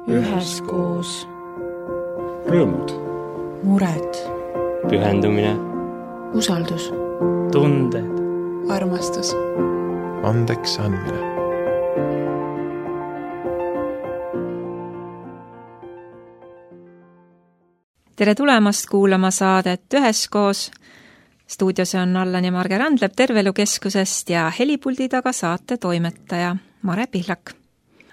üheskoos. Rõõmud, mured, pühendumine, usaldus, tunded, armastus, andeks andmine. Tere tulemast kuulama saadet Üheskoos. Stuudios on Allan ja Marge Randlep Terveelukeskusest ja helipuldi taga saate toimetaja Mare Pihlak.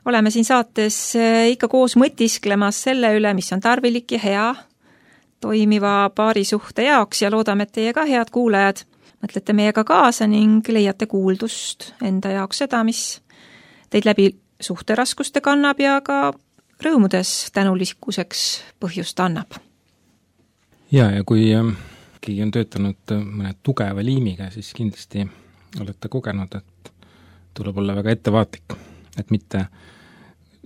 Oleme siin saates ikka koos mõtisklemas selle üle, mis on tarvilik ja hea toimiva paarisuhte jaoks ja loodame, et teie ka, head kuulajad, mõtlete meiega kaasa ning leiate kuuldust enda jaoks seda, mis teid läbi suhteraskuste kannab ja ka rõõmudes tänulikkuseks põhjust annab. Ja kui keegi on töötanud mõne tugeva liimiga, siis kindlasti olete kogenud, et tuleb olla väga ettevaatlik, et mitte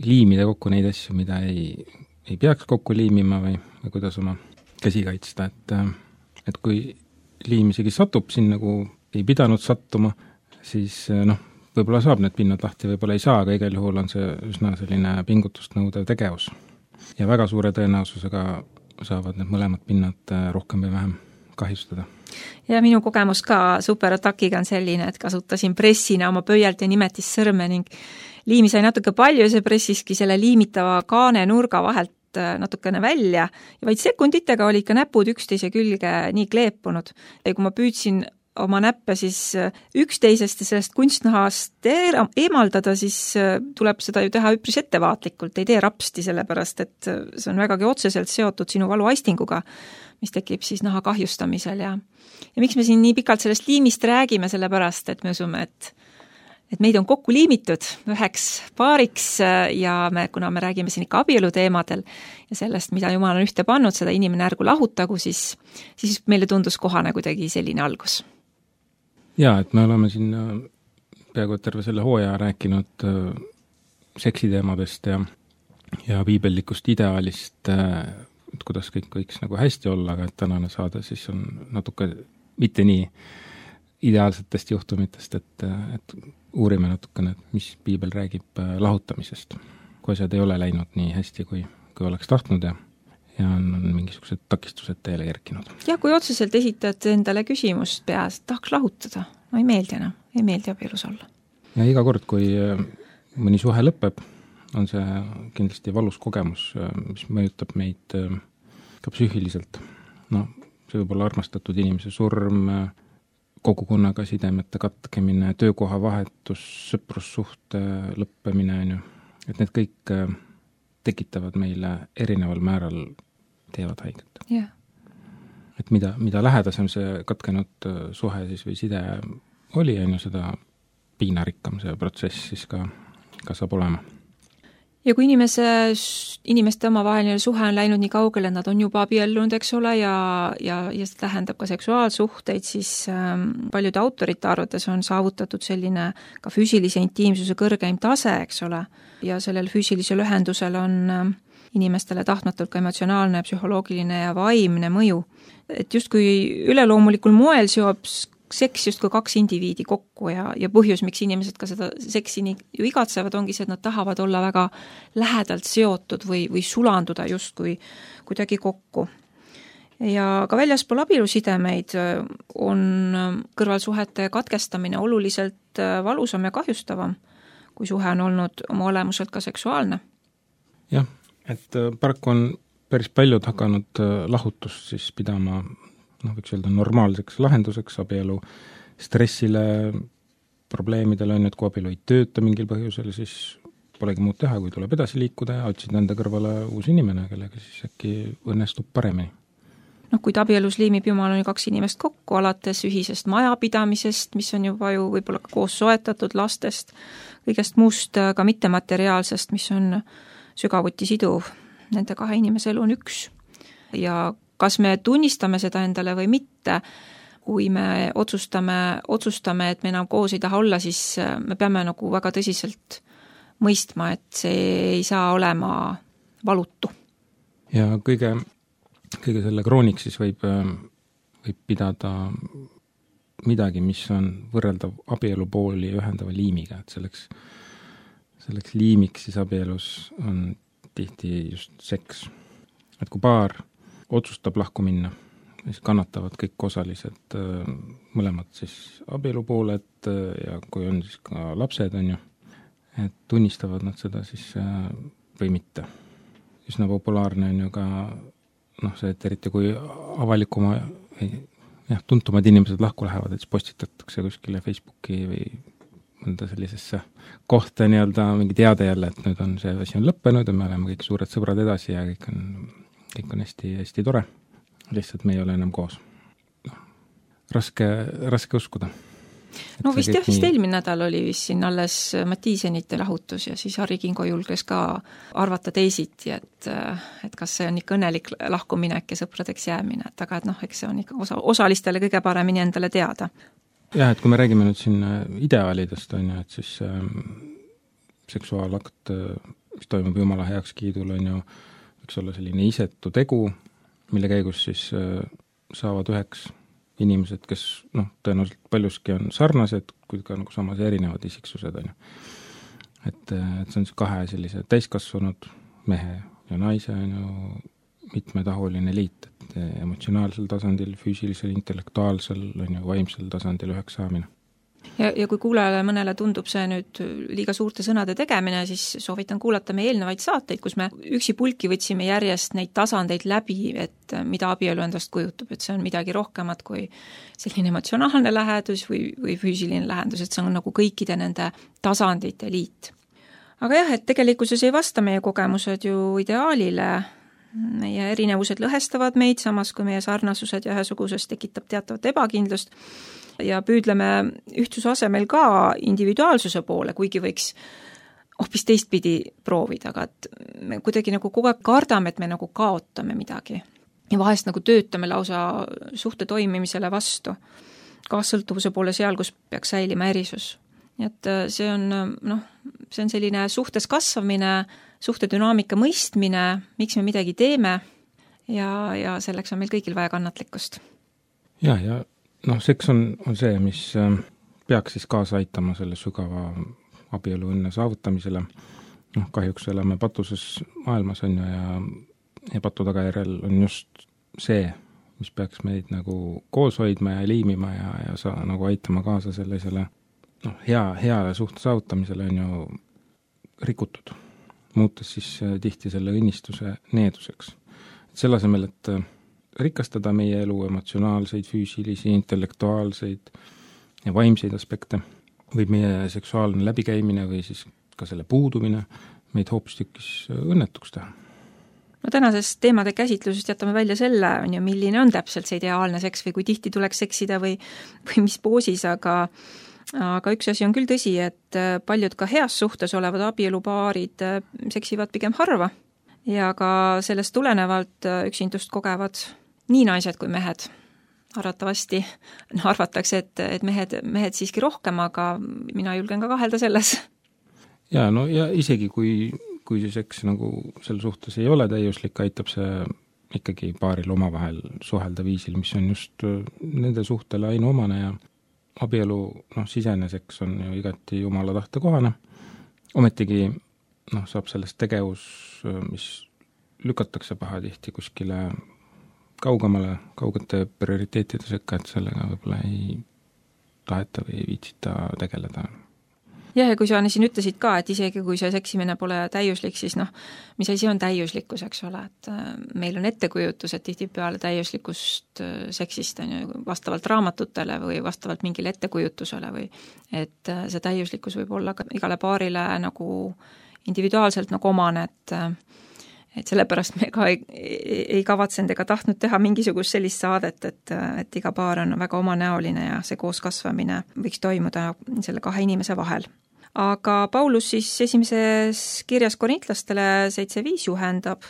liimida kokku neid asju, mida ei peaks kokku liimima või kuidas oma käsi kaitsta, et kui liim isegi satub siin nagu ei pidanud sattuma, siis võib-olla saab need pinnad lahti, võib-olla ei saa, aga igal juhul on see üsna selline pingutust nõudev tegevus. Ja väga suure tõenäosusega saavad need mõlemad pinnad rohkem või vähem kahjustada. Ja minu kogemus ka superatakiga on selline, et kasutasin pressina oma pöialt ja nimetissõrme ning liimi sai natuke palju ja see pressiski selle liimitava kaane nurga vahelt natukene välja ja vaid sekunditega oli ikka näpud üksteise külge nii kleepunud. Ja kui ma püüdsin oma näppe siis üksteisest ja sellest kunstnahast eemaldada, siis tuleb seda ju teha üpris ettevaatlikult, ei tee rapsti, sellepärast et see on vägagi otseselt seotud sinu valuaistinguga, mis tekib siis naha kahjustamisel ja miks me siin nii pikalt sellest liimist räägime, sellepärast et me usume, et meid on kokku liimitud üheks paariks ja kuna me räägime siin ikka abielu teemadel ja sellest, mida Jumal on ühte pannud, seda inimene ärgu lahutagu, siis meile tundus kohane kuidagi selline algus. Ja, et me oleme siin peaaegu terve selle hooaja rääkinud seksiteemadest ja piibellikust ideaalist, et kuidas kõik võiks nagu hästi olla, aga et tänane saade siis on natuke mitte nii ideaalsetest juhtumitest, et uurime natukene, mis piibel räägib lahutamisest, kui asjad ei ole läinud nii hästi, kui oleks tahtnud ja on mingisugused takistused teele kerkinud. Ja kui otseselt esitad endale küsimust peas, et tahaks lahutada, no ei meeldi enam, ei meeldi abielus olla. Ja iga kord, kui mõni suhe lõpeb, on see kindlasti valus kogemus, mis mõjutab meid ka psüühiliselt. See võib olla armastatud inimese surm, kogukonnaga sidemete katkemine, töökoha vahetus, sõprussuhte lõppemine, et need kõik tekitavad meile erineval määral teevad haiget. Yeah. Et mida lähedasem see katkenud suhe siis või side oli, seda piinarikkam see protsess siis ka saab olema. Ja kui inimeste omavaheline suhe on läinud nii kaugele, et nad on juba abiellunud, eks ole, ja see tähendab ka seksuaalsuhteid, siis paljude autorite arvates on saavutatud selline ka füüsilise intiimsuse kõrgeim tase, eks ole, ja sellel füüsilisel ühendusel on inimestele tahtmatult ka emotsionaalne, psühholoogiline ja vaimne mõju. Et justkui üleloomulikul moel seob seks justkui kaks indiviidi kokku ja põhjus, miks inimesed ka seda seksi nii ju igatsevad, ongi see, et nad tahavad olla väga lähedalt seotud või sulanduda justkui kuidagi kokku. Ja ka väljaspool abielusidemeid on kõrvalsuhete katkestamine oluliselt valusam ja kahjustavam, kui suhe on olnud oma olemuselt ka seksuaalne. Jah, et paraku on päris paljud hakanud lahutust siis pidama võiks öelda normaalseks lahenduseks abielu stressile, probleemidele on, et kui abielu ei tööta mingil põhjusel, siis polegi muud teha, kui tuleb edasi liikuda ja otsida enda kõrvale uus inimene, kellega siis äkki õnnestub paremini. Kuid abielus liimib Jumal on kaks inimest kokku, alates ühisest majapidamisest, mis on juba ju võib-olla koos soetatud lastest, kõigest muust ka mittemateriaalsest, mis on sügavuti siduv. Nende kahe inimese elu on üks. Ja kas me tunnistame seda endale või mitte, kui me otsustame, et me enam koos ei taha olla, siis me peame nagu väga tõsiselt mõistma, et see ei saa olema valutu. Ja kõige selle krooniks siis võib pidada midagi, mis on võrreldav abielupooli ühendava liimiga, et selleks liimiks siis abielus on tihti just seks. Et kui paar otsustab lahku minna, siis kannatavad kõik osalised, mõlemad siis abielupooled ja kui on siis ka lapsed, on ju, et tunnistavad nad seda siis või mitte. Üsna populaarne on ju ka see, et eriti kui avalikuma tuntumad inimesed lahku lähevad, et siis postitatakse kuskile Facebooki või mõnda sellisesse kohta mingi teade jälle, et nüüd on see asi on lõppenud ja me oleme kõik suured sõbrad edasi ja kõik on hästi, hästi tore. Lihtsalt me ei ole enam koos. Raske uskuda. No vist eelmine nädal oli vist siin alles Mattiisenite lahutus ja siis Harri Kingo julges ka arvata teisiti, et kas see on ikka õnnelik lahkuminek ja sõpradeks jäämine, et aga eks see on ikka osalistele kõige paremini endale teada. Jah, et kui me räägime nüüd siin ideaalidest, on ju, et siis seksuaalakt, mis toimub Jumala heakskiidul, on ju, võiks olla selline isetu tegu, mille käigus siis saavad üheks inimesed, kes tõenäoliselt paljuski on sarnased, kuid ka samas erinevad isiksused, on ju. Et see on siis kahe sellise täiskasvanud mehe ja naise, on ju, mitmetahuline liit, et emotsionaalsel tasandil, füüsilisel, intellektuaalsel, on ju, vaimsel tasandil üheks saamine. Ja kui kuulajale mõnele tundub see nüüd liiga suurte sõnade tegemine, siis soovitan kuulata meie eelnevaid saateid, kus me üksi pulki võtsime järjest neid tasandeid läbi, et mida abielu endast kujutab, et see on midagi rohkemat kui selline emotsionaalne lähedus või füüsiline lähendus, et see on nagu kõikide nende tasandite liit. Aga jah, et tegelikkuses ei vasta meie kogemused ju ideaalile, meie erinevused lõhestavad meid, samas kui meie sarnasused ja ühesuguses tekitab teatavat ebakindlust ja püüdleme ühtsuse asemel ka individuaalsuse poole, kuigi võiks hoopis teistpidi proovida, aga et me kuidagi nagu kogu aeg kardame, et me nagu kaotame midagi. Ja vahest nagu töötame lausa suhte toimimisele vastu, kaassõltuvuse poole seal, kus peaks säilima erisus. Nii et see on selline suhtes kasvamine, suhte dünaamika mõistmine, miks me midagi teeme ja selleks on meil kõigil vaja kannatlikkust. Ja seks on see, mis peaks siis kaasa aitama selle sügava abielu õnne saavutamisele. Kahjuks oleme patuses maailmas on ja patu tagajärjel on just see, mis peaks meid nagu koos hoidma ja liimima ja nagu aitama kaasa sellisele hea suhte saavutamisele on ju rikutud, muutes siis tihti selle õnnistuse needuseks. Selle asemel, et rikastada meie elu emotsionaalseid, füüsilisi, intellektuaalseid ja vaimseid aspekte, võib meie seksuaalne läbikäimine või siis ka selle puudumine meid hoopistükkis õnnetuks teha. Tänasest teemade käsitlusest jätame välja selle, milline on täpselt see ideaalne seks või kui tihti tuleks seksida või mis poosis, aga üks asi on küll tõsi, et paljud ka heas suhtes olevad abielupaarid seksivad pigem harva ja ka sellest tulenevalt üksindust kogevad nii naised kui mehed. Arvatavasti arvatakse, et mehed siiski rohkem, aga mina julgen ka kahelda selles. Ja isegi kui see seks nagu selle suhtes ei ole täiuslik, aitab see ikkagi paaril omavahel suhelda viisil, mis on just nende suhtele ainuomane ja abielu sisene seks on ju igati Jumala tahte kohane. Ometigi saab sellest tegevus, mis lükatakse pahatihti kuskile kaugete prioriteetide sekka, et sellega võib-olla ei taheta või ei viitsita tegeleda. Jah, ja kui sa siin ütlesid ka, et isegi kui see seksimine pole täiuslik, siis mis asi on täiuslikkus, eks ole, et meil on ettekujutus, et tihtipeale täiuslikust seksist on ju vastavalt raamatutele või vastavalt mingile ettekujutusele või et see täiuslikkus võib olla ka igale paarile nagu individuaalselt nagu omane, et sellepärast me ka ei kavatsenud ega tahtnud teha mingisugust sellist saadet, et iga paar on väga omanäoline ja see kooskasvamine võiks toimuda selle kahe inimese vahel. Aga Paulus siis esimeses kirjas korintlastele 7.5 juhendab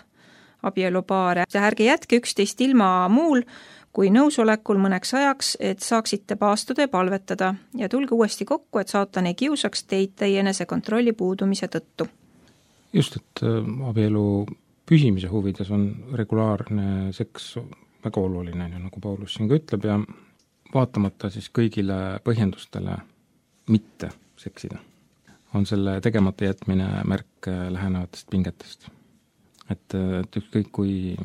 abielupaare. Ärge jätke üksteist ilma muul kui nõusolekul mõneks ajaks, et saaksite paastuda ja palvetada ja tulge uuesti kokku, et saatan ei kiusaks teid teie enesekontrolli puudumise tõttu. Just, et abielu püsimise huvides on regulaarne seks väga oluline, nagu Paulus siin ka ütleb, ja vaatamata siis kõigile põhjendustele mitte seksida, on selle tegemata jätmine märk lähenevatest pingetest. et ükskõik kui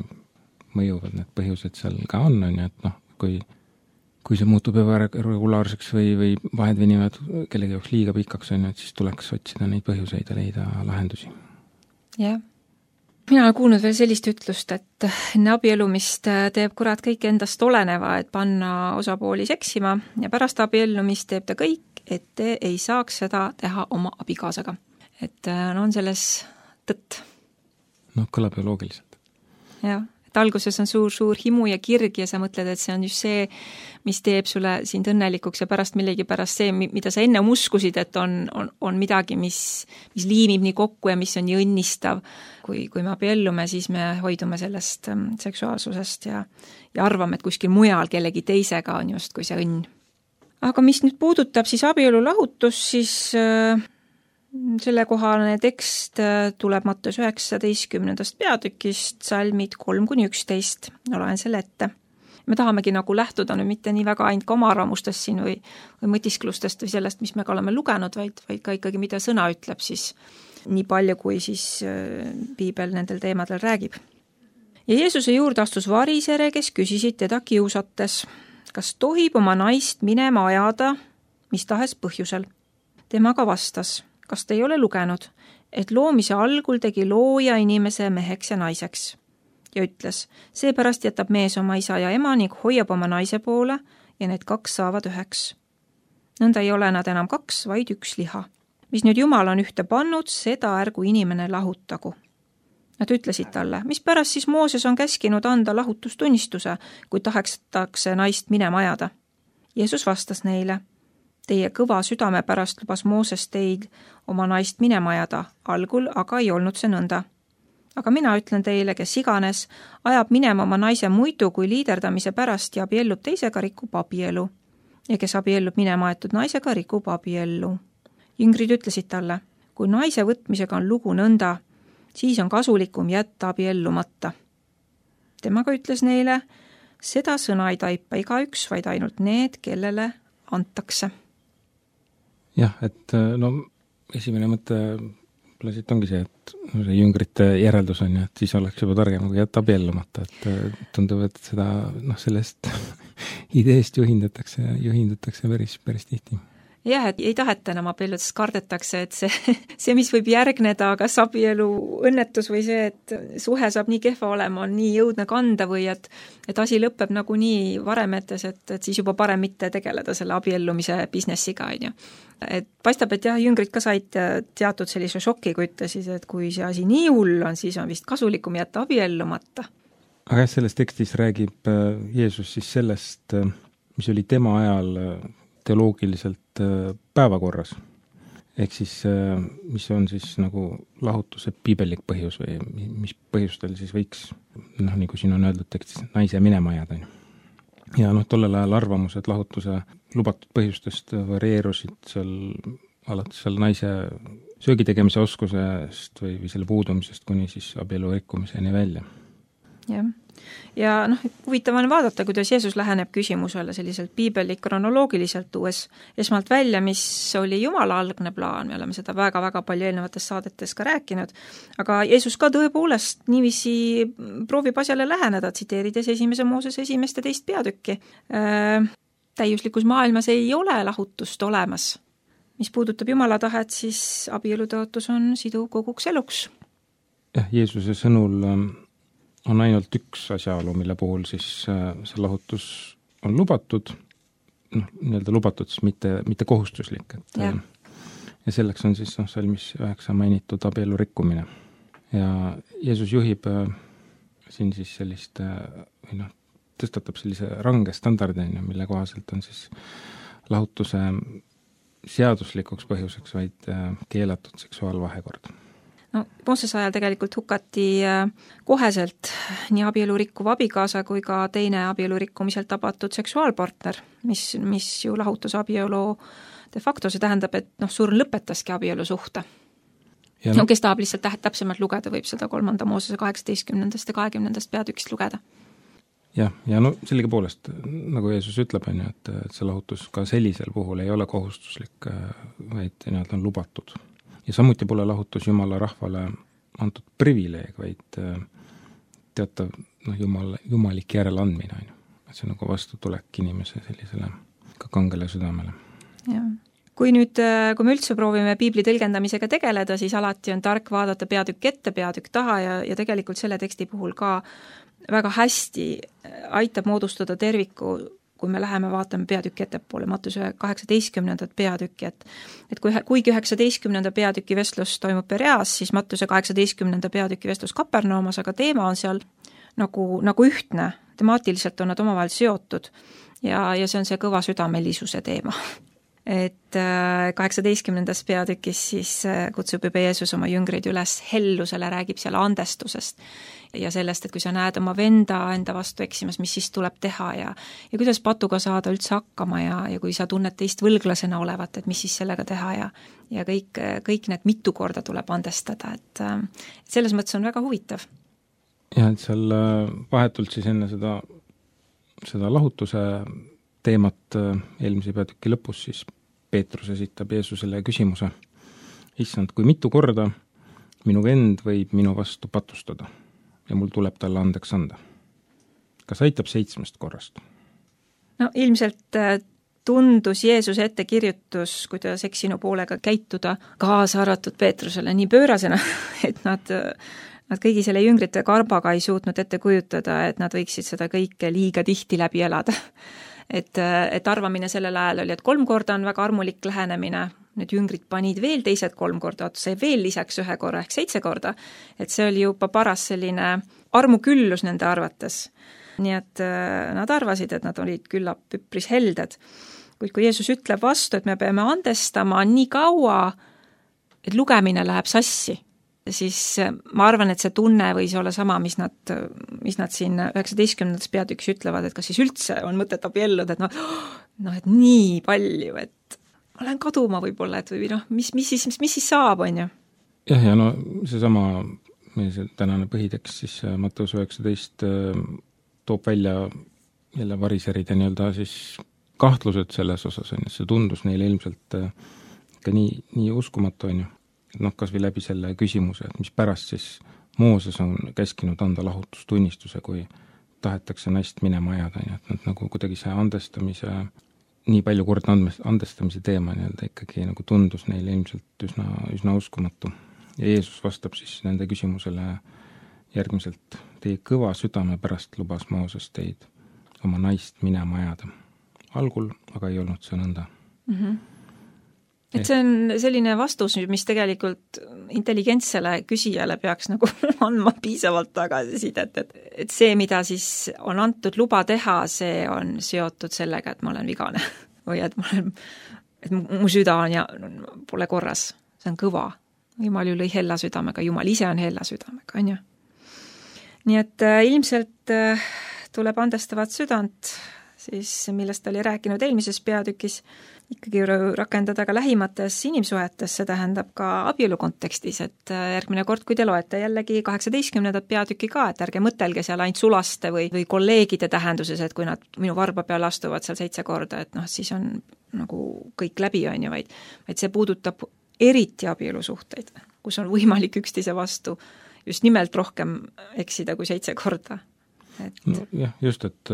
mõjuvad need põhjused seal ka on ju, et noh, kui see muutub ebaregulaarseks või vahed venivad kellegi jaoks liiga pikaks on ju, et siis tuleks otsida neid põhjuseid ja leida lahendusi. Jah. Mina olen kuulnud veel sellist ütlust, et enne abiellumist teeb kurat kõik endast oleneva, et panna osapooli seksima ja pärast abiellumist teeb ta kõik, et te ei saaks seda teha oma abikaasaga. Et on selles tõtt. No kõlab ju loogiliselt. Jah, et alguses on suur himu ja kirg ja sa mõtled, et see on just see, mis teeb sulle sind õnnelikuks ja pärast millegi pärast see, mida sa enne uskusid, et on midagi, mis liimib nii kokku ja mis on nii õnnistav. Kui me abiellume, siis me hoidume sellest seksuaalsusest ja arvame, et kuskil mujal kellegi teisega on just kui see õnn. Aga mis nüüd puudutab siis abielu lahutus, siis sellekohane tekst tuleb Matteus 19. peatükist, salmid 3-11. Loen selle ette. Me tahamegi nagu lähtuda nüüd mitte nii väga ainult ka oma arvamustest siin või mõtisklustest või sellest, mis me ka oleme lugenud, vaid ka ikkagi, mida sõna ütleb siis nii palju, kui siis piibel nendel teemadel räägib. Ja Jeesuse juurde astus varisere, kes küsisid teda kiusates, kas tohib oma naist minema ajada mis tahes põhjusel. Tema ka vastas, kas te ei ole lugenud, et loomise algul tegi looja inimese meheks ja naiseks. Ja ütles, seepärast jätab mees oma isa ja ema ning hoiab oma naise poole ja need kaks saavad üheks. Nõnda ei ole nad enam kaks, vaid üks liha. Mis nüüd Jumal on ühte pannud, seda ärgu inimene lahutagu. Nad ütlesid talle, mis pärast siis Mooses on käskinud anda lahutustunnistuse, kui tahetakse naist minema ajada. Jeesus vastas neile, teie kõva südame pärast lubas Mooses teid oma naist minema ajada, algul aga ei olnud see nõnda. Aga mina ütlen teile, kes iganes, ajab minema oma naise muidu kui liiderdamise pärast ja abiellub teisega, rikub abielu. Ja kes abiellub minema aetud naisega, rikub abiellu. Jüngrid ütlesid talle, kui naise võtmisega on lugu nõnda, siis on kasulikum jätta abiellumata. Temaga ütles neile, seda sõna ei taipa igaüks, vaid ainult need, kellele antakse. Jah, et no esimene mõte siit ongi see, et see jüngrite järeldus on ja et siis oleks juba targem kui jätta abiellumata, et tundub, et seda sellest ideest juhindutakse päris tihti. Jah, et ei taheta enam abielludes, kardetakse, et see, mis võib järgneda, kas abielu õnnetus või see, et suhe saab nii kehva olema, on nii jõudne kanda või et asi lõpeb nagu nii varemetes, et siis juba parem mitte tegeleda selle abiellumise businessiga, on ju. Et paistab, et jah, jüngrid ka said teatud sellise šoki, kui ütlesid, et kui see asi nii hull on, siis on vist kasulikum jätta abiellumata. Aga selles tekstis räägib Jeesus siis sellest, mis oli tema ajal teoloogiliselt päevakorras. Ehk siis, mis on siis nagu lahutuse piibellik põhjus või mis põhjustel siis võiks, nii kui siin on öeldud tekstis, naise minema ajada. Ja tollel ajal arvamused lahutuse lubatud põhjustest varieerusid alates naise söögitegemise oskusest või selle puudumisest kuni siis abielu rikkumiseni välja. Jah. Ja huvitav on vaadata, kuidas Jeesus läheneb küsimusele selliselt piibeli kronoloogiliselt tuues esmalt välja, mis oli Jumala algne plaan, me oleme seda väga-väga palju eelnevates saadetes ka rääkinud, aga Jeesus ka tõepoolest niiviisi proovib asjale läheneda, tsiteerides 1. Moosese 1. ja 2. peatükki. Täiuslikus maailmas ei ole lahutust olemas. Mis puudutab Jumala tahet, siis abielutõotus on siduv koguks eluks. Jah, Jeesuse sõnul on ainult üks asjaolu, mille puhul siis see lahutus on lubatud, nii-öelda lubatud, siis mitte kohustuslik. Ja selleks on siis salmis 9 mainitud abielu rikkumine. Ja Jeesus juhib siin siis sellist, tõstatab sellise range standardi, mille kohaselt on siis lahutuse seaduslikuks põhjuseks, vaid keelatud seksuaalvahekord. Moosese ajal tegelikult hukati koheselt nii abielu rikkuv abikaasa kui ka teine abielu rikkumiselt tabatud seksuaalpartner, mis ju lahutus abielu de facto, see tähendab, et surm lõpetaski abielu suhte. Kes tahab lihtsalt täpsemalt lugeda, võib seda 3. Moosese 18. ja 20. peatükist lugeda. Ja sellegipoolest, nagu Jeesus ütleb, et see lahutus ka sellisel puhul ei ole kohustuslik, vaid on lubatud. Ja samuti pole lahutus Jumala rahvale antud privileeg, vaid teatav jumalik järeleandmine on ju. Et see nagu vastutulek inimese sellisele ka kangele südamele. Jah. Kui me üldse proovime piibli tõlgendamisega tegeleda, siis alati on tark vaadata peatükk ette, peatükk taha ja tegelikult selle teksti puhul ka väga hästi aitab moodustada terviku, kui me läheme vaatame peatükki ettepoole, Mattuse 18. peatükki, et kuigi 19. peatüki vestlus toimub Pereas, siis Mattuse 18. peatüki vestlus Kapernaumas, aga teema on seal nagu ühtne, temaatiliselt on nad omavahel seotud ja see on see kõva südamelisuse teema. Et 18. peatükis siis kutsub juba Jeesus oma jüngreid üles hellusele, räägib seal andestusest ja sellest, et kui sa näed oma enda vastu eksimas, mis siis tuleb teha ja kuidas patuga saada üldse hakkama ja kui sa tunned teist võlglasena olevat, et mis siis sellega teha ja kõik need mitu korda tuleb andestada, et selles mõttes on väga huvitav. Ja et seal vahetult siis enne seda lahutuse teemat eelmise peatüki lõpus, siis Peetrus esitab Jeesusele küsimuse. Issand, kui mitu korda minu vend võib minu vastu patustada ja mul tuleb talle andeks anda? Kas aitab 7 korrast? No ilmselt tundus Jeesuse ettekirjutus, kuidas eksinu poolega käituda, kaasa arvatud Peetrusele nii pöörasena, et nad kõigi selle jüngrite karbaga ei suutnud ette kujutada, et nad võiksid seda kõike liiga tihti läbi elada. Et arvamine sellel ajal oli, et 3 korda on väga armulik lähenemine, need jüngrid panid veel teised 3 korda otsa ja veel lisaks 1 korra ehk 7 korda, et see oli juba paras selline armuküllus nende arvates. Nii et nad arvasid, et nad olid küllap üpris helded. Kuid kui Jeesus ütleb vastu, et me peame andestama nii kaua, et lugemine läheb sassi, siis ma arvan, et see tunne võis olla sama, mis nad siin 19. peatükis ütlevad, et kas siis üldse on mõtet abielluda, et et nii palju, et ma lähen kaduma võib-olla, et või mis siis saab, on ju? Jah, ja seesama see tänane põhitekst siis Matteus 19 toob välja jälle variseride nii-öelda siis kahtlused selles osas, on ju, see tundus neile ilmselt ka nii uskumatu, on ju. Kas või läbi selle küsimuse, et mis pärast siis Mooses on käskinud anda lahutustunnistuse, kui tahetakse naist minema ajada, et nad nagu kuidagi see andestamise, nii palju kord andestamise teema nii-öelda ikkagi nagu tundus neile ilmselt üsna uskumatu. Ja Jeesus vastab siis nende küsimusele järgmiselt, teie kõva südame pärast lubas Mooses teid oma naist minema ajada. Algul aga ei olnud see nõnda. Et see on selline vastus, mis tegelikult intelligentsele küsijale peaks nagu andma piisavalt tagasisidet, et see, mida siis on antud luba teha, see on seotud sellega, et ma olen vigane või et mu süda on ja pole korras. See on kõva. Jumal ju lõi hella südamega, Jumal ise on hella südamega, on ju. Nii et ilmselt tuleb andestavat südant, siis millest oli rääkinud eelmises peatükis, ikkagi rakendada ka lähimates inimsuhetes, see tähendab ka abielu kontekstis, et järgmine kord, kui te loete jällegi 18. peatükki ka, et ärge mõtelge seal ainult sulaste või kolleegide tähenduses, et kui nad minu varba peale astuvad seal 7 korda, et siis on nagu kõik läbi, on ju, vaid see puudutab eriti abielusuhteid, kus on võimalik üksteise vastu just nimelt rohkem eksida kui 7 korda. Jah, just, et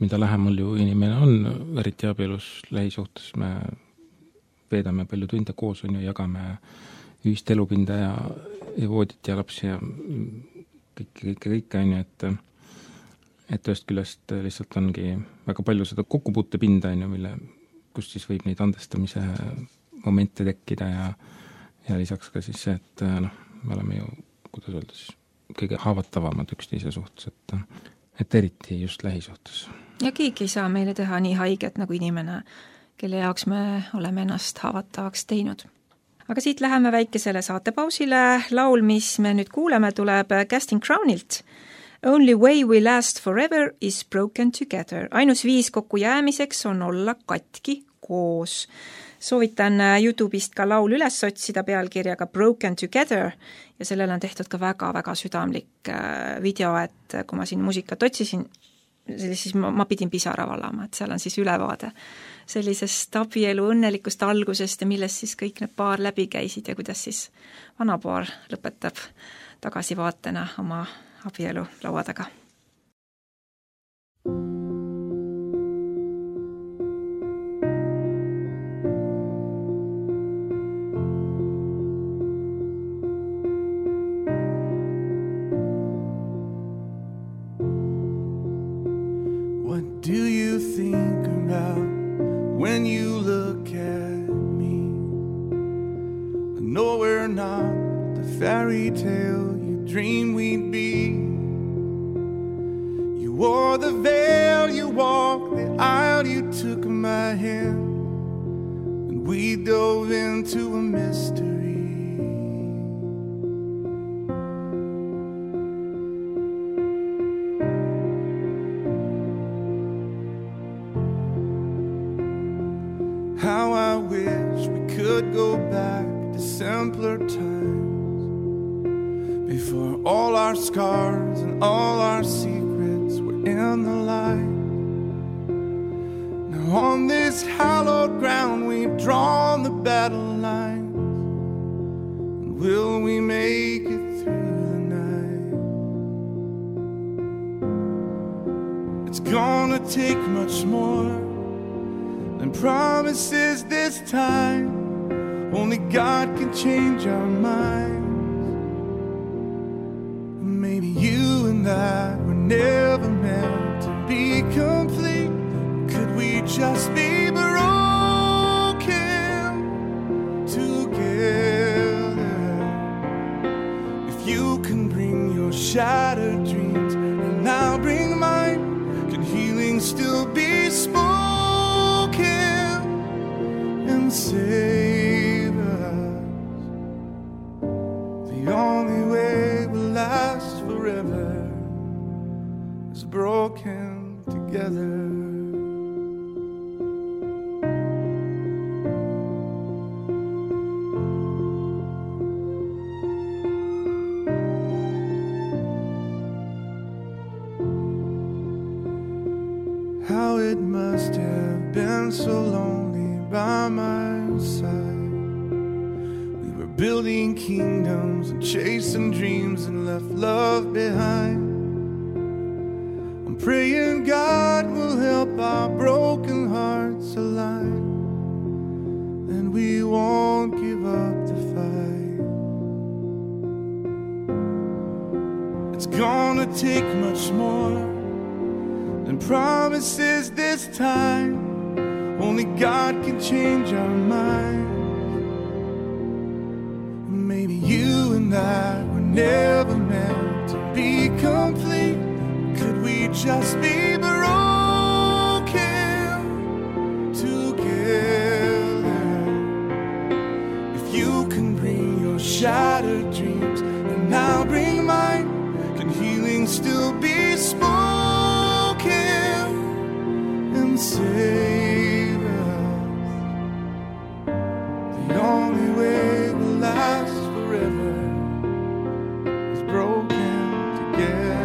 mida lähemal ju inimene on, eriti abielus lähisuhtes, me veedame palju tunde koos, on ju, jagame ühist elupinda ja voodit ja lapsi ja kõike, on ju, et ühest küljest lihtsalt ongi väga palju seda kokkupuutepinda, on ju, kus siis võib neid andestamise momente tekkida ja lisaks ka siis see, et me oleme ju, kuidas öelda siis, kõige haavatavamad üksteise suhtes, et eriti just lähisuhtes. Ja keegi ei saa meile teha nii haiget nagu inimene, kelle jaoks me oleme ennast haavatavaks teinud. Aga siit läheme väikesele saatepausile. Laul, mis me nüüd kuuleme, tuleb Casting Crownilt. Only way we last forever is broken together. Ainus viis kokku jäämiseks on olla katki koos. Soovitan YouTube'ist ka laul üles otsida pealkirjaga Broken Together ja sellele on tehtud ka väga-väga südamlik video, et kui ma siin muusikat otsisin, siis ma pidin pisara valama, et seal on siis ülevaade sellisest abielu õnnelikust algusest ja millest siis kõik need paar läbi käisid ja kuidas siis vanapaar lõpetab tagasivaatena oma abielu laua taga. What do you think about when you look at me? I know we're not the fairy tale you dreamed we'd be. You wore the veil, you walked the aisle, you took my hand, and we dove into a mystery. How I wish we could go back to simpler times, before all our scars and all our secrets were in the light. Now on this hallowed ground we've drawn the battle lines, and will we make it through the night? It's gonna take much more and promises this time. Only God can change our minds. Maybe you and I were never meant to be complete. Could we just be broken together? If you can bring your shattered dreams and I'll bring mine, can healing still be spoken and save us? The only way we'll last forever is broken together. How it must have been so lonely by my side. We were building kingdoms and chasing dreams and left love behind. I'm praying God will help our broken hearts align, and we won't give up the fight. It's gonna take much more than promises this time. Only God can change our minds. Maybe you and I were never meant to be complete. Could we just be broken together? If you can bring your shattered dreams and I'll bring mine, can healing still be spoken and save us? The only way we'll last forever is broken together.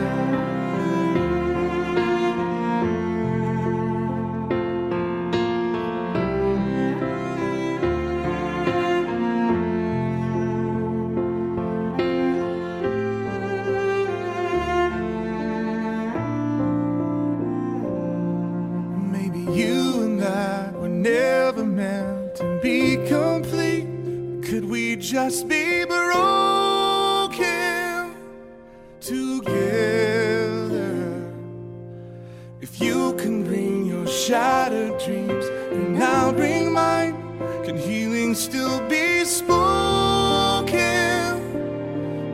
Never meant to be complete. Could we just be broken together? If you can bring your shattered dreams and I'll bring mine, can healing still be spoken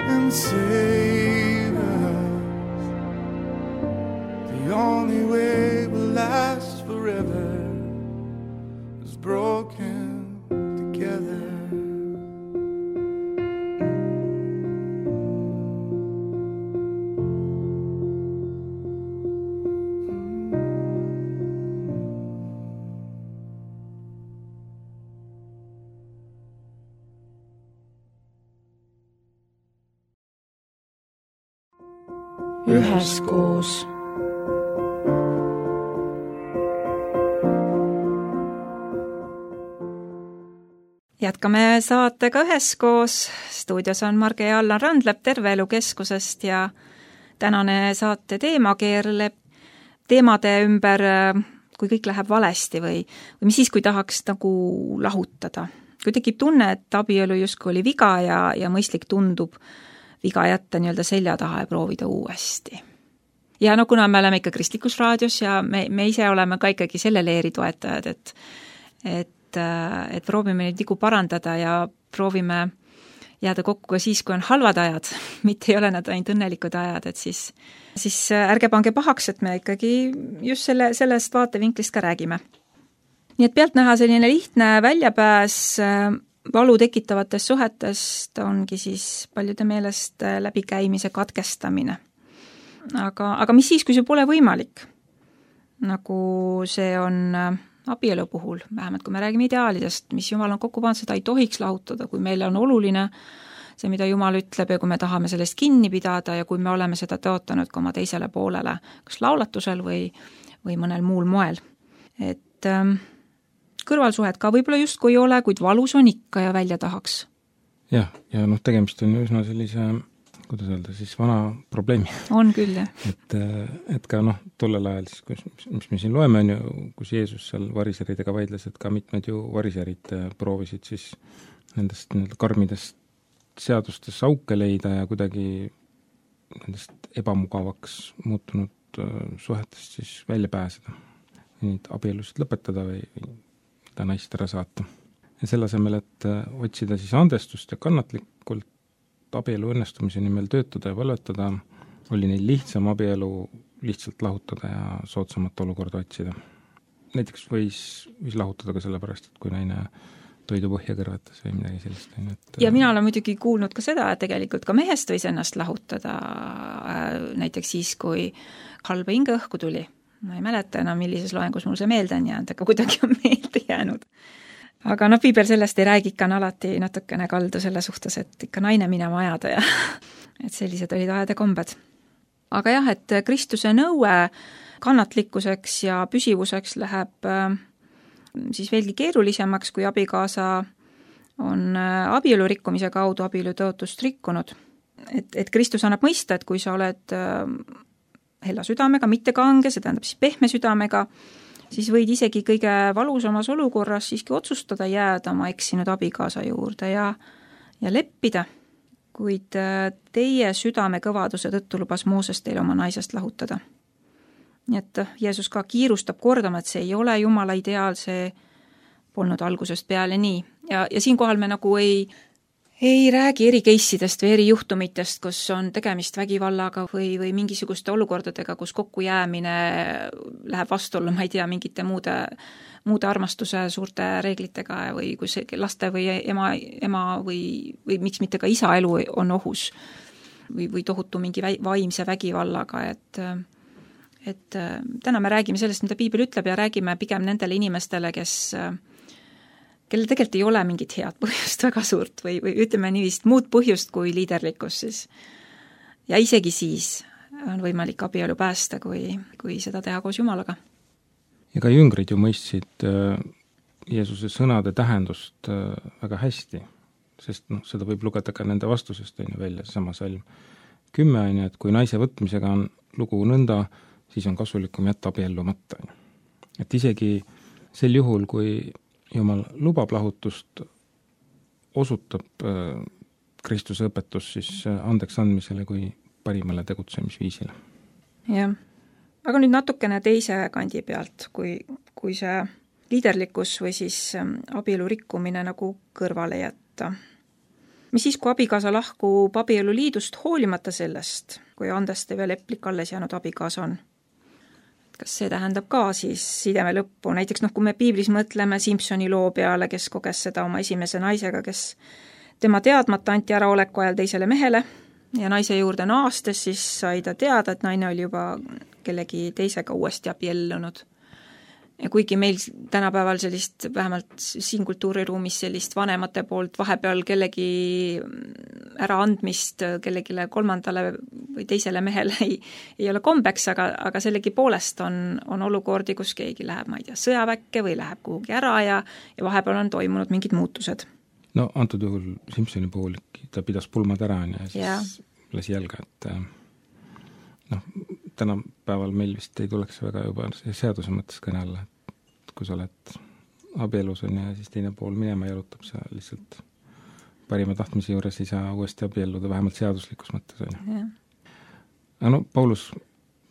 and save us? The only way we'll last forever is broken together. Üheskoos. jätkame saatega üheskoos. Stuudios on Marge ja Allan Randlep Terve Elu Keskusest ja tänane saate teema keerleb teemade ümber, kui kõik läheb valesti või mis siis, kui tahaks nagu lahutada. Kui tekib tunne, et abielu justkui oli viga ja mõistlik tundub viga jätta nii-öelda selja taha ja proovida uuesti. Ja no kuna me oleme ikka kristlikus raadios ja me ise oleme ka ikkagi selle leeri toetajad, et proovime neid vigu parandada ja proovime jääda kokku ka siis, kui on halvad ajad, mitte ei ole nad ainult õnnelikud ajad, et siis ärge pange pahaks, et me ikkagi just sellest vaatevinklist ka räägime. Nii et pealtnäha selline lihtne väljapääs valu tekitavatest suhetest ongi siis paljude meelest läbikäimise katkestamine. Aga mis siis, kui see pole võimalik? Nagu see on abielu puhul, vähemalt kui me räägime ideaalidest, mis Jumal on kokku pannud, seda ei tohiks lahutada, kui meile on oluline see, mida Jumal ütleb ja kui me tahame sellest kinni pidada ja kui me oleme seda tõotanud ka oma teisele poolele, kas laulatusel või mõnel muul moel. Et kõrvalsuhet ka võib-olla justkui ei ole, kuid valus on ikka ja välja tahaks. Ja tegemist on üsna sellise, kuidas öelda, siis vana probleemi. On küll, jah. Et ka tollel ajal, siis, mis me siin loeme, on ju, kus Jeesus seal variseridega vaidles, et ka mitmed ju variserid proovisid siis nendest karmidest seadustest auke leida ja kuidagi nendest ebamugavaks muutunud suhetest siis välja pääseda. Neid abielusid lõpetada või ta naist ära saata. Ja selle asemel, et otsida siis andestust ja kannatlikult abielu õnnestumise nimel töötada ja valvetada, oli neil lihtsam abielu lihtsalt lahutada ja soodsamat olukorda otsida. Näiteks võis lahutada ka sellepärast, et kui naine toidu põhja kõrvetas või midagi sellist. Ja mina olen muidugi kuulnud ka seda, et tegelikult ka mehest võis ennast lahutada näiteks siis, kui halba hinge õhku tuli. Ma ei mäleta enam, millises loengus mul see meelde on jäänud, aga kuidagi on meelde jäänud. Aga piibel sellest ei räägi, ikka on alati natukene kaldu selle suhtes, et ikka naine minema ajada ja et sellised olid ajade kombed. Aga jah, et Kristuse nõue kannatlikkuseks ja püsivuseks läheb siis veelgi keerulisemaks, kui abikaasa on abielu rikkumise kaudu abielu tõotust rikkunud. Et Kristus annab mõista, et kui sa oled hella südamega, mitte kange, see tähendab siis pehme südamega, siis võid isegi kõige valusamas olukorras siiski otsustada jääda oma eksinud abikaasa juurde ja leppida, kuid teie südame kõvaduse tõttu lubas Mooses teile oma naisest lahutada. Nii et Jeesus ka kiirustab kordama, et see ei ole Jumala ideaal, see polnud algusest peale nii. Ja siinkohal me nagu ei räägi eri case'idest või eri juhtumitest, kus on tegemist vägivallaga või mingisuguste olukordadega, kus kokkujäämine läheb vastuollu, ma ei tea, mingite muude armastuse suurte reeglitega või kus laste või ema või miks mitte ka isa elu on ohus või tohutu mingi vaimse vägivallaga, et täna me räägime sellest, mida piibel ütleb ja räägime pigem nendele inimestele, kellel tegelikult ei ole mingit head põhjust väga suurt või ütleme niivist muud põhjust kui liiderlikkus siis. Ja isegi siis on võimalik abielu päästa, kui seda teha koos Jumalaga. Ja ka jüngrid ju mõistsid Jeesuse sõnade tähendust väga hästi, sest seda võib lugeda ka nende vastusest välja, sama salm 10, et kui naise võtmisega on lugu nõnda, siis on kasulikum jätta abiellumata. Et isegi sel juhul, kui Jumal lubab lahutust, osutab Kristuse õpetus siis andeks andmisele kui parimale tegutsemisviisile. Jah, aga nüüd natukene teise kandi pealt, kui see liiderlikkus või siis abielu rikkumine nagu kõrvale jätta. Mis siis, kui abikaasa lahkub abielu liidust hoolimata sellest, kui andeste veel leplik alles jäänud abikaasa on? Kas see tähendab ka siis sideme lõppu? Näiteks kui me piiblis mõtleme Simpsoni loo peale, kes koges seda oma esimese naisega, kes tema teadmata anti äraoleku ajal teisele mehele ja naise juurde naastes, siis sai ta teada, et naine oli juba kellegi teisega uuesti abiellunud. Ja kuigi meil tänapäeval sellist, vähemalt siin kultuuriruumis sellist vanemate poolt vahepeal kellegi äraandmist kellegile kolmandale või teisele mehele ei ole kombeks, aga sellegi poolest on olukordi, kus keegi läheb, ma ei tea, sõjaväkke või läheb kuhugi ära ja vahepeal on toimunud mingid muutused. no antud juhul Simpsoni puhul ta pidas pulmad ära ja siis lasi jalga, et tänapäeval meil vist ei tuleks väga juba seaduse mõttes kõne alla, et kui sa oled abielus on ja siis teine pool minema jalutab, sa lihtsalt parima tahtmise juures ei saa uuesti abielluda, vähemalt seaduslikus mõttes on ju. Aga no Paulus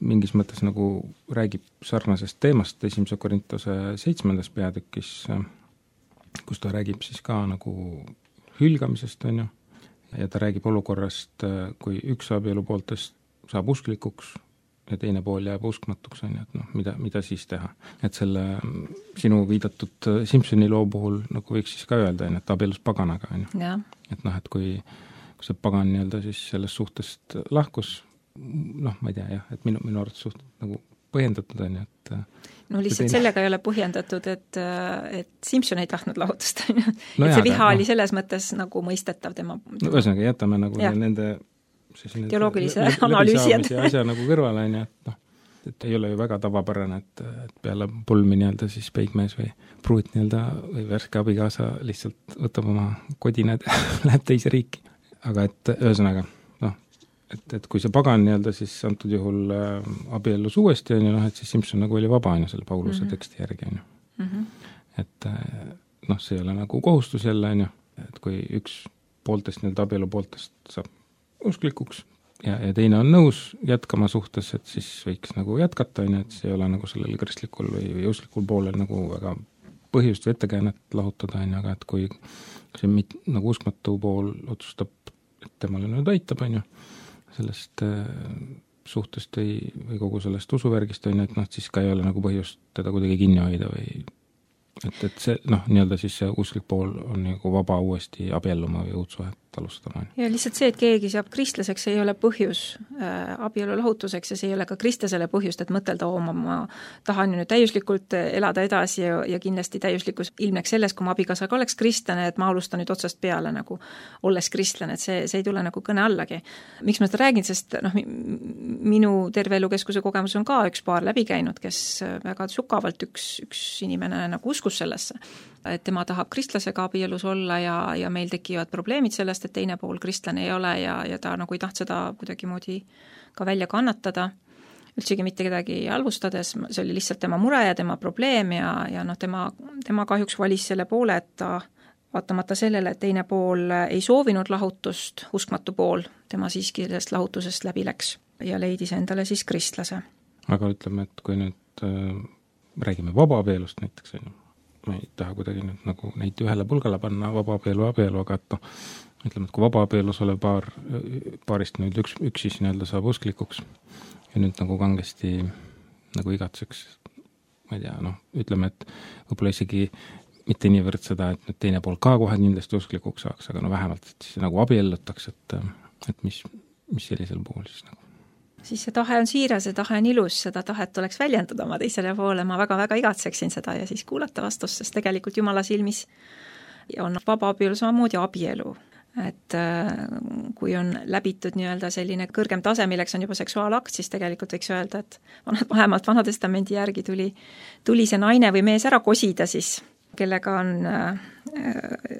mingis mõttes nagu räägib sarnasest teemast 1. Korintuse 7. peatükis, kus ta räägib siis ka nagu hülgamisest on ju, ja ta räägib olukorrast, kui üks abielu pooltest saab usklikuks ja teine pool jääb uskmatuks on ju, et mida siis teha. Et selle sinu viidatud Simpsoni loo puhul nagu võiks siis ka öelda, et abielus paganaga on ju. Et et kui see pagan nii-öelda siis sellest suhtest lahkus, ma ei tea jah, et minu arvates suht nagu põhjendatud on ju, et no lihtsalt sellega ei ole põhjendatud, et Simpson ei tahtnud lahutust on ju. Et see viha oli selles mõttes nagu mõistetav tema. No ühesõnaga jätame nagu nende teoloogilise analüüsi asja nagu kõrvale on ju, et ei ole ju väga tavapärane, et peale pulmi nii-öelda siis peigmees või pruut nii-öelda või värske abikaasa lihtsalt võtab oma kodinad ja läheb teise riiki. Aga et ühesõnaga et kui see pagan nii-öelda siis antud juhul abiellus uuesti on ju, et siis Simpson nagu oli vaba on ju selle Pauluse teksti järgi on ju. Et see ei ole nagu kohustus jälle on ju, et kui üks pooltest nii-öelda abielu pooltest saab usklikuks ja teine on nõus jätkama suhtes, et siis võiks nagu jätkata on ju, et see ei ole nagu sellel kristlikul või usklikul poolel nagu väga põhjust või ettekäänet lahutada on ju, aga et kui see nagu uskmatu pool otsustab, et temale nüüd aitab on ju, sellest suhtest või kogu sellest usuvärgist on, et siis ka ei ole nagu põhjust teda kuidagi kinni hoida või et see nii-öelda siis see usklik pool on nagu vaba uuesti abielluma või uut suhet alustama. Ja lihtsalt see, et keegi saab kristlaseks, ei ole põhjus abielu lahutuseks ja see ei ole ka kristlasele põhjust, et mõtelda, ma tahan ju nüüd täiuslikult elada edasi ja kindlasti täiuslikkus ilmneks selles, kui ma abikaasaga oleks kristlane, et ma alustan nüüd otsast peale nagu olles kristlane, et see ei tule nagu kõne allagi. Miks ma seda räägin, sest minu terve elukeskuse kogemus on ka üks paar läbi käinud, kes väga sügavalt üks inimene nagu uskus sellesse, et tema tahab kristlasega abielus olla ja meil tekivad probleemid sellest, et teine pool kristlane ei ole ja ta nagu ei taht seda kuidagimoodi ka välja kannatada, üldsegi mitte kedagi halvustades, see oli lihtsalt tema mure ja tema probleem ja tema kahjuks valis selle poole, et ta vaatamata sellele, et teine pool ei soovinud lahutust, uskmatu pool, tema siiski sellest lahutusest läbi läks ja leidis endale siis kristlase. Aga ütleme, et kui nüüd räägime vabaabielust näiteks, ma ei taha kuidagi nüüd nagu neid ühele pulgale panna vabaabielu, aga et ütleme, et kui vabaabielus olev paarist nüüd üks siis nii-öelda saab usklikuks ja nüüd nagu kangesti nagu igatseks, ma ei tea, ütleme, et võib-olla isegi mitte niivõrd seda, et nüüd teine pool ka kohe kindlasti usklikuks saaks, aga vähemalt et siis nagu abiellutaks, et mis sellisel puhul siis nagu. Siis see tahe on siiras, see tahe on ilus, seda tahet tuleks väljendada oma teisele poole, ma väga-väga igatseksin seda ja siis kuulata vastust, sest tegelikult Jumala silmis on vaba abielu samamoodi abielu. Et kui on läbitud nii-öelda selline kõrgem tase, milleks on juba seksuaalakt, siis tegelikult võiks öelda, et vähemalt Vanatestamendi järgi tuli see naine või mees ära kosida siis, kellega on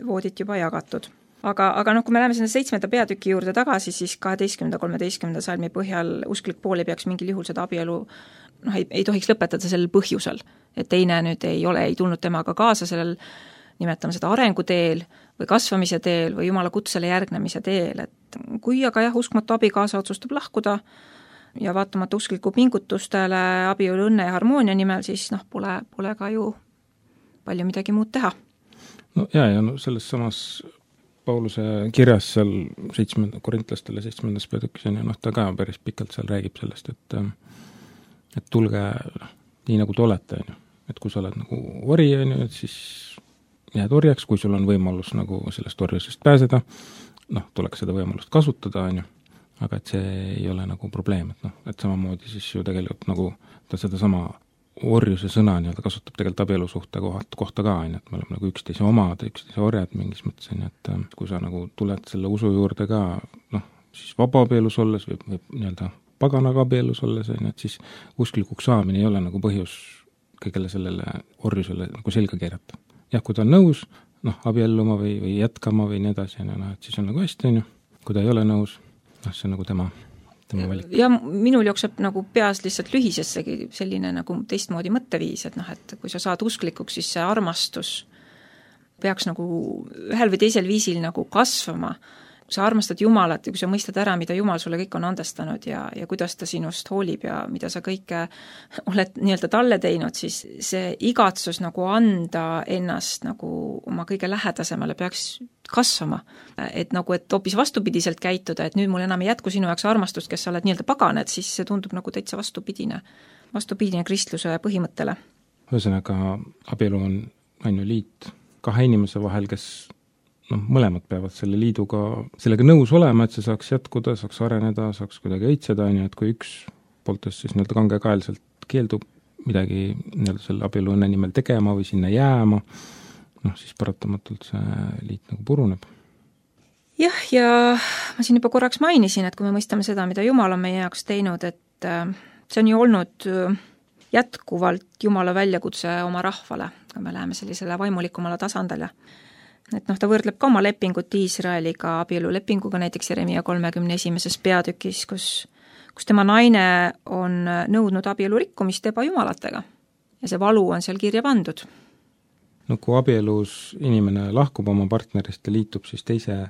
voodit juba jagatud. Aga kui me läheme selle 7. peatüki juurde tagasi, siis 12-13 salmi põhjal usklik pool ei peaks mingil juhul seda abielu ei tohiks lõpetada sellel põhjusel, et teine nüüd ei tulnud temaga kaasa sellel, nimetame seda arenguteel või kasvamise teel või Jumala kutsele järgnemise teel, et kui aga uskmatu abikaasa otsustab lahkuda ja vaatamata uskliku pingutustele abielu õnne ja harmoonia nimel, siis pole ka ju palju midagi muud teha. Ja selles samas Pauluse kirjas seal korintlastele 7. peatükis on ja ta ka päris pikalt seal räägib sellest, et tulge nii nagu te olete, et kui sa oled nagu ori, et siis jääd orjaks, kui sul on võimalus nagu sellest orjusest pääseda, tuleks seda võimalust kasutada, aga et see ei ole nagu probleem, et samamoodi siis ju tegelikult nagu ta seda sama orjuse sõna nii-öelda kasutab tegelikult abielusuhte kohta ka, et me oleme nagu üksteise omad, üksteise orjad mingis mõttes, et kui sa nagu tuled selle usu juurde ka, siis vaba abielus olles või nii-öelda paganaga abielus olles, et siis usklikuks saamine ei ole nagu põhjus kõigele sellele orjusele nagu selga keerata. Jah, kui ta on nõus, abielluma või jätkama või nii edasi, et siis on nagu hästi, on ju. Kui ta ei ole nõus, see on nagu tema valik. Ja minul jookseb nagu peas lihtsalt lühisessegi selline nagu teistmoodi mõtteviis, et kui sa saad usklikuks, siis see armastus peaks nagu ühel või teisel viisil nagu kasvama. Kui sa armastad Jumalat ja kui sa mõistad ära, mida Jumal sulle kõik on andestanud ja kuidas ta sinust hoolib ja mida sa kõike oled nii-öelda talle teinud, siis see igatsus nagu anda ennast nagu oma kõige lähedasemale peaks kasvama. Et hoopis vastupidiselt käituda, et nüüd mul enam ei jätku sinu jaoks armastust, kes sa oled nii-öelda pagan, et siis see tundub nagu täitsa vastupidine kristluse põhimõttele. Ühesõnaga, abielu on ju liit kahe inimese vahel, kes mõlemad peavad selle liiduga, sellega nõus olema, et see saaks jätkuda, saaks areneda, saaks kuidagi õitseda, et kui üks pooltest siis nii-öelda kangekaelselt keeldub midagi nii-öelda selle abielu õnne nimel tegema või sinna jääma, siis paratamatult see liit nagu puruneb. Jah, ja ma siin juba korraks mainisin, et kui me mõistame seda, mida Jumal on meie jaoks teinud, et see on ju olnud jätkuvalt Jumala väljakutse oma rahvale, kui me läheme sellisele vaimulikumale tasandile. Et ta võrdleb ka oma lepingut Iisraeliga abielulepinguga, näiteks Jeremia 31. peatükis, kus tema naine on nõudnud abielu rikkumist ebajumalatega ja see valu on seal kirja pandud. Kui abielus inimene lahkub oma partnerist ja liitub siis teise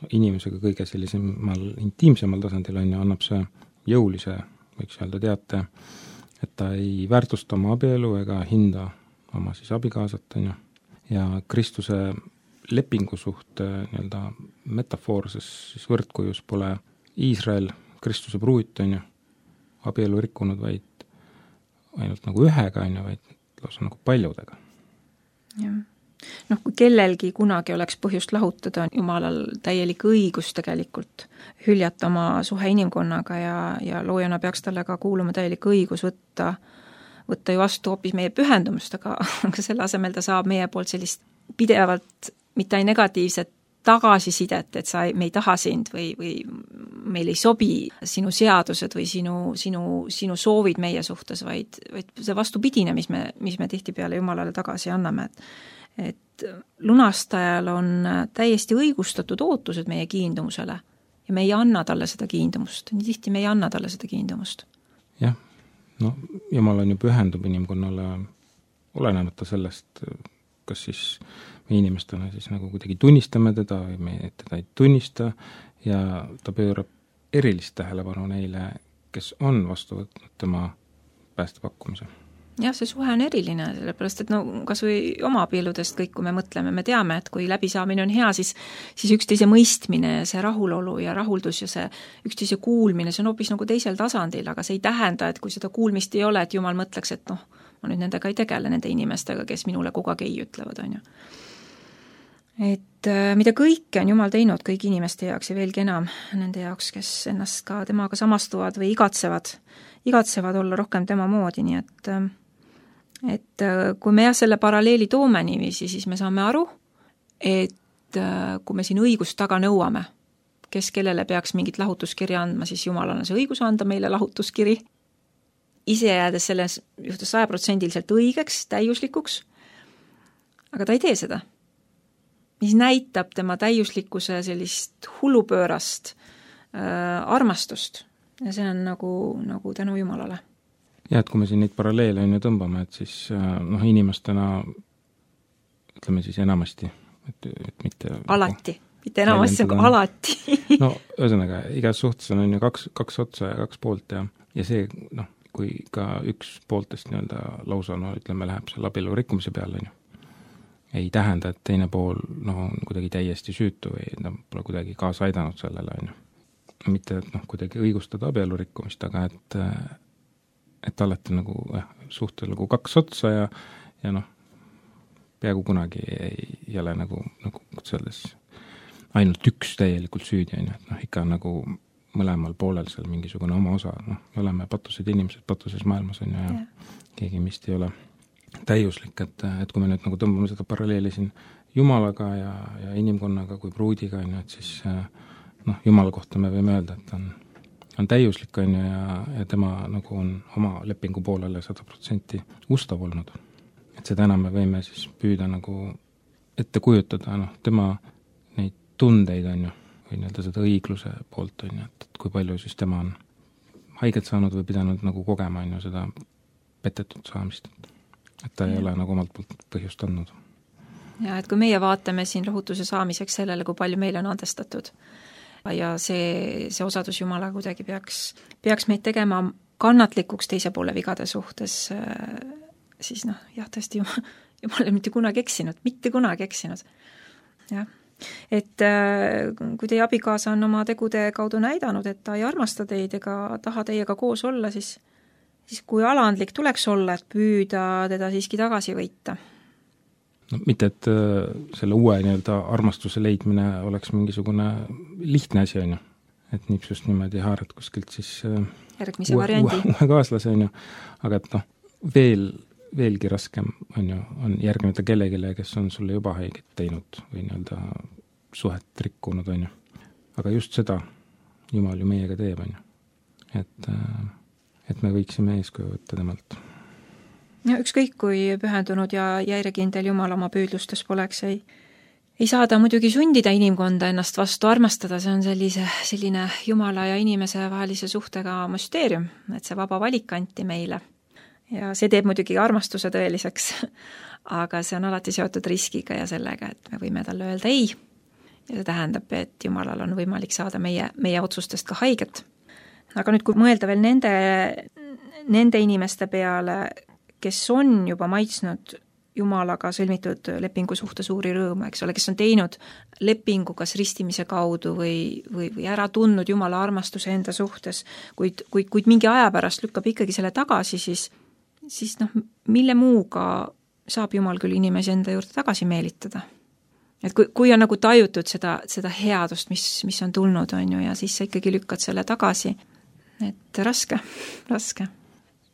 inimesega kõige sellisemal intiimsemal tasandil annab see jõulise, võiks öelda teate, et ta ei väärtusta oma abielu ega hinda oma siis abikaasat, ja Kristuse lepingu suht nii-öelda metafoorses siis võrdkujus pole Iisrael Kristuse pruut, abielu rikkunud vaid ainult nagu ühega, vaid lausa nagu paljudega. Jah. Kui kellelgi kunagi oleks põhjust lahutada, on Jumalal täielik õigus tegelikult hüljata oma suhe inimkonnaga ja loojana peaks talle ka kuuluma täielik õigus võtta ju vastu hoopis meie pühendumust, aga selle asemel ta saab meie poolt sellist pidevalt mitte ainult negatiivset tagasisidet, et me ei taha sind või meil ei sobi sinu seadused või sinu soovid meie suhtes, vaid see vastupidine, mis me tihtipeale Jumalale tagasi anname. Et lunastajal on täiesti õigustatud ootused meie kiindumusele ja me ei anna talle seda kiindumust. Nii tihti me ei anna talle seda kiindumust. Jah, Jumal on ju pühendub inimkonnale olenemata sellest, kas siis me inimestena siis nagu kuidagi tunnistame teda või me teda ei tunnista ja ta pöörab erilist tähelepanu neile, kes on vastu võtnud tema päästepakkumise. Jah, see suhe on eriline, sellepärast et kas või oma abieludest kõik, kui me mõtleme, me teame, et kui läbisaamine on hea, siis üksteise mõistmine ja see rahulolu ja rahuldus ja see üksteise kuulmine, see on hoopis nagu teisel tasandil, aga see ei tähenda, et kui seda kuulmist ei ole, et Jumal mõtleks, et ma nüüd nendega ei tegele, nende inimestega, kes minule kogu aeg ei ütlevad, on ju. Et mida kõike on Jumal teinud kõigi inimeste jaoks ja veelgi enam nende jaoks, kes ennast ka temaga samastuvad või igatsevad olla rohkem tema moodi, nii et kui me selle paralleeli toome niiviisi, siis me saame aru, et kui me siin õigust taga nõuame, kes kellele peaks mingit lahutuskirja andma, siis Jumalal on see õigus anda meile lahutuskiri, ise jäädes selles juhtus 100% õigeks, täiuslikuks, aga ta ei tee seda. Mis näitab tema täiuslikkuse sellist hullupöörast armastust ja see on nagu tänu Jumalale. Ja, et kui me siin neid paralleele tõmbame, et siis inimestena ütleme siis enamasti, et mitte alati, mitte enamasti, aga alati. Ühesõnaga, igas suhtes on ju kaks otsa ja kaks poolt ja see, kui ka üks pooltest lausa, ütleme, läheb seal abielu rikkumise peale, ei tähenda, et teine pool on kuidagi täiesti süütu või pole kuidagi kaasa aidanud sellele, mitte kuidagi õigustada abielu rikkumist, aga et alati suhtel kaks otsa ja peaaegu kunagi ei ole nagu selles ainult üks täielikult süüdi, et ikka mõlemal poolel seal mingisugune oma osa, me oleme patused inimesed patuses maailmas ja keegi meist ei ole täiuslik, et kui me nüüd tõmbame seda paralleeli siin Jumalaga ja inimkonnaga kui pruudiga, et siis Jumala kohta me võime öelda, et on täiuslik ja tema on oma lepingu poolele 100% ustav olnud. Et seda enam me võime siis püüda ette kujutada, tema neid tundeid, on ju, või nii-öelda seda õigluse poolt, on ju, et kui palju siis tema on haiget saanud või pidanud nagu kogema, on ju, seda petetud saamist. Et ta ei ole nagu omalt poolt põhjust andnud. Ja et kui meie vaatame siin rõhutuse saamiseks sellele, kui palju meile on andestatud ja see osadus Jumala kuidagi peaks meid tegema kannatlikuks teise poole vigade suhtes, siis tõesti Jumal ei mitte kunagi eksinud. Jah. Et kui teie abikaasa on oma tegude kaudu näidanud, et ta ei armasta teid ega taha teiega koos olla, siis kui alandlik tuleks olla, et püüda teda siiski tagasi võita. Mitte, et selle uue nii-öelda armastuse leidmine oleks mingisugune lihtne asi, on ju. Et nipsust niimoodi haarad kuskilt siis järgmise variandi. Uue kaaslase, on ju. Aga et veelgi raskem on ju, on järgnevata kellegile, kes on sulle juba haiget teinud või nii-öelda suhet rikkunud, on ju. Aga just seda Jumal ju meiega teeb, on ju. Et me võiksime eeskuju võtta temalt. Ja ükskõik, kui pühendunud ja järjekindel Jumal oma püüdlustes poleks, ei saa ta muidugi sundida inimkonda ennast vastu armastada, see on selline Jumala ja inimese vahelise suhtega müsteerium, et see vaba valik anti meile. Ja see teeb muidugi armastuse tõeliseks, aga see on alati seotud riskiga ja sellega, et me võime talle öelda ei. Ja see tähendab, et Jumalal on võimalik saada meie otsustest ka haiget. Aga nüüd, kui mõelda veel nende inimeste peale, kes on juba maitsnud Jumalaga sõlmitud lepingu suhte suuri rõõme, eks ole, kes on teinud lepingu kas ristimise kaudu või ära tundnud Jumala armastuse enda suhtes, kuid mingi aja pärast lükkab ikkagi selle tagasi, siis mille muuga saab Jumal küll inimesi enda juurde tagasi meelitada. Et kui on nagu tajutud seda headust, mis on tulnud, on ju, ja siis sa ikkagi lükkad selle tagasi, et raske.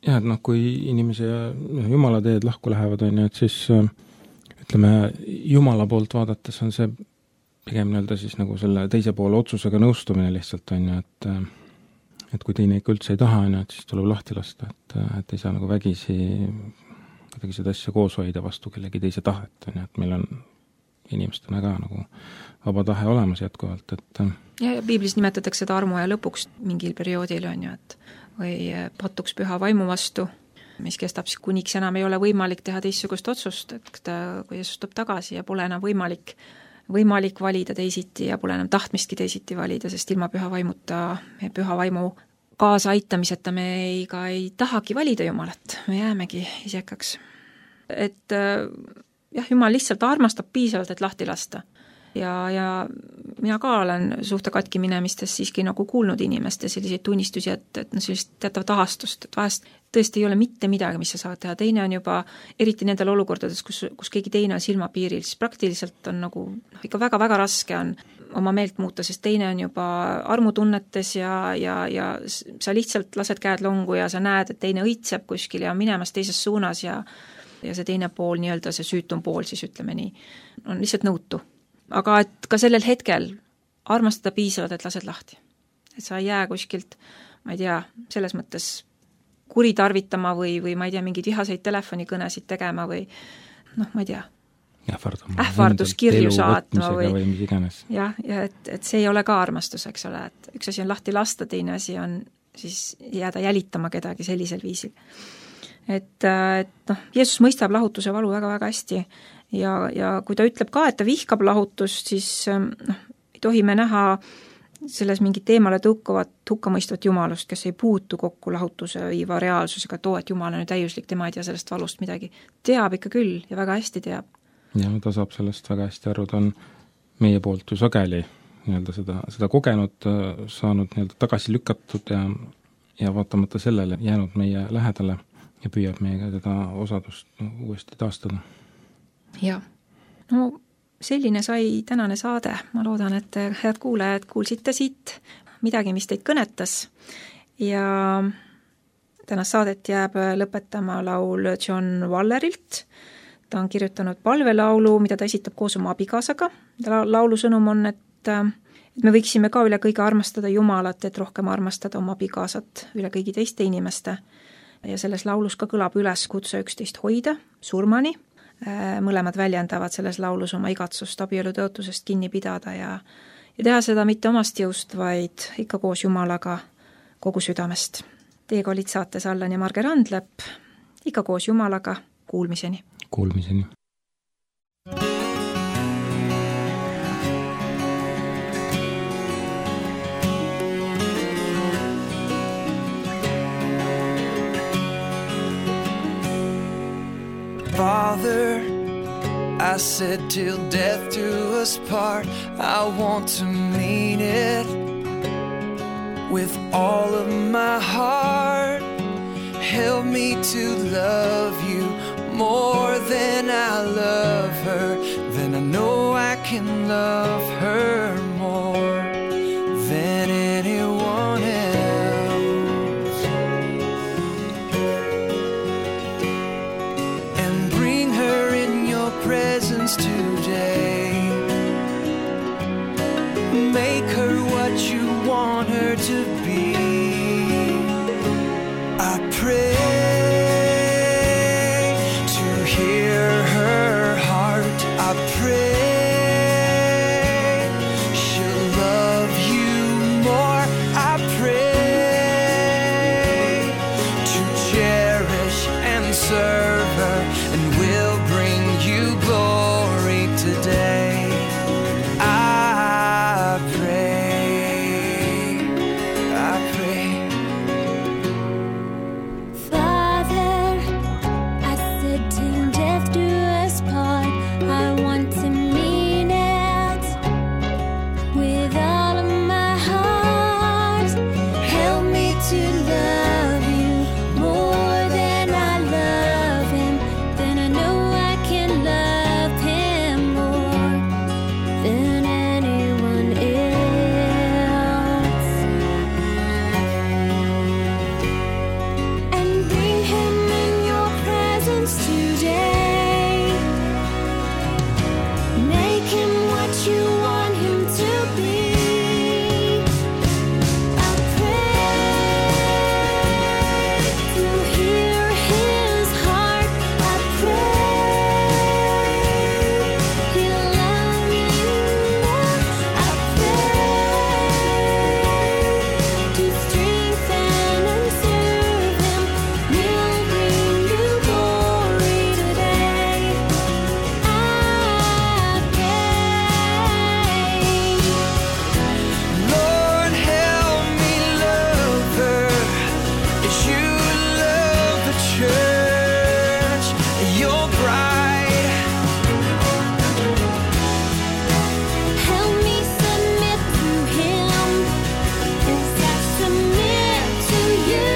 Ja, et kui inimese ja Jumala teed lahku lähevad, on ju, et siis ütleme, Jumala poolt vaadates on see pigem nii-öelda siis nagu selle teise poole otsusega nõustumine lihtsalt, on ju, et kui teine ikka üldse ei taha, on ju, et siis tuleb lahti lasta, et ei saa nagu vägisi kuidagi seda asja koos hoida vastu kellegi teise tahet, on ju, et meil on inimestena ka nagu vaba tahe olemas jätkuvalt, et ja piiblis nimetatakse seda armu ja lõpuks mingil perioodil, on ju, et või patuks püha vaimu vastu, mis kestab siis kuniks enam ei ole võimalik teha teistsugust otsust, et kui Jeesus tuleb tagasi ja pole enam võimalik valida teisiti ja pole enam tahtmistki teisiti valida, sest ilma püha vaimuta, püha vaimu kaasaaitamiseta me ei tahagi valida Jumalat, me jäämegi isekaks. Et Jumal lihtsalt armastab piisavalt, et lahti lasta. Ja mina ka olen suhte katki minemistes siiski nagu kuulnud inimeste selliseid tunnistusi, et sellist teatavat ahastust, et vahest tõesti ei ole mitte midagi, mis sa saad teha. Teine on juba, eriti nendel olukordades, kus keegi teine on silmapiiril, siis praktiliselt on nagu ikka väga-väga raske on oma meelt muuta, sest teine on juba armutunnetes ja sa lihtsalt lased käed longu ja sa näed, et teine õitseb kuskil ja on minemas teises suunas ja see teine pool, nii-öelda see süütum pool, siis ütleme nii, on lihtsalt nõutu. Aga et ka sellel hetkel armastada piisavalt, et lased lahti. Et sa ei jää kuskilt, ma ei tea, selles mõttes kuritarvitama või ma ei tea, mingeid vihaseid telefonikõnesid tegema või ma ei tea, ähvarduskirju saatma või mis iganes. Ja et see ei ole ka armastus, eks ole, et üks asi on lahti lasta, teine asi on siis jääda jälitama kedagi sellisel viisil. Et Jeesus mõistab lahutuse valu väga-väga hästi ja kui ta ütleb ka, et ta vihkab lahutust, siis ei tohi me näha selles mingit teemale tõukuvat hukkamõistvat Jumalust, kes ei puutu kokku lahutuse viiva reaalsusega, et Jumal on ju täiuslik, tema ei tea sellest valust midagi. Teab ikka küll ja väga hästi teab. Ja ta saab sellest väga hästi aru, ta on meie poolt ju sageli nii-öelda seda kogenud, saanud nii-öelda tagasi lükatud ja vaatamata sellele jäänud meie lähedale ja püüab meiega seda osadust uuesti taastada. Ja, selline sai tänane saade. Ma loodan, et head kuulajad kuulsite siit midagi, mis teid kõnetas ja tänast saadet jääb lõpetama laul John Wallerilt. Ta on kirjutanud palvelaulu, mida ta esitab koos oma abikaasaga. Laulu sõnum on, et me võiksime ka üle kõige armastada Jumalat, et rohkem armastada oma abikaasat üle kõigi teiste inimeste. Ja selles laulus ka kõlab üles kutse 11 hoida surmani, mõlemad väljendavad selles laulus oma igatsust abielu tõotusest kinni pidada ja teha seda mitte omast jõust, vaid ikka koos Jumalaga kogu südamest. Teiega olid saates Allan ja Marge Randlepp, ikka koos Jumalaga, kuulmiseni. Kuulmiseni. Father, I said till death do us part, I want to mean it with all of my heart. Help me to love you more than I love her, then I know I can love her more than anyone else. And bring her in your presence today. Make her what you want her to be. I pray to hear her heart. I pray she'll love you more. I pray to cherish and serve her, and will bring you glory today. I pray, I pray. Father, I said till death do us part, I want to mean it with all of my heart. Help me to love you more than I love him, then I know I can love him more than anyone else. And bring him in your presence today. Make him what you want him to be. I pray to hear his heart. I pray he'll love you more. I pray to strengthen and serve him. We'll bring you glory today. I pray. Lord, help me love her as you love the church, your bride. Help me submit to him as I submit to you.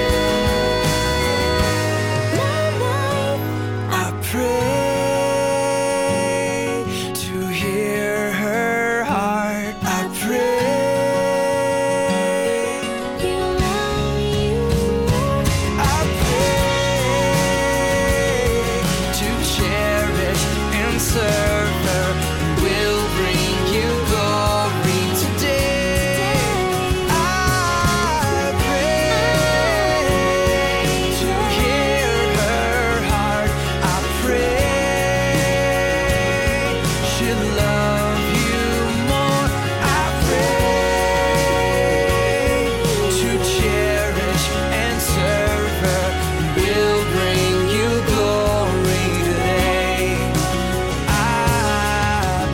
My life, I pray to hear her heart. I pray, he'll love you more. I pray to cherish and serve her, and will bring you glory today. I pray to hear her heart. I pray she'll love you more. I pray to cherish and serve her, will bring you glory today. I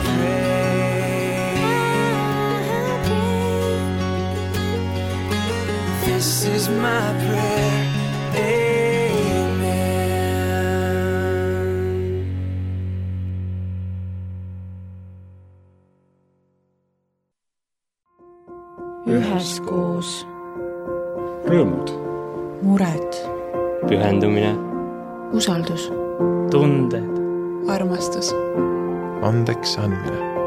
pray. This is my prayer. Amen. Üheskoos. Rõõmud, Mured. pühendumine, Usaldus. tunded, Armastus. Andeks andmine.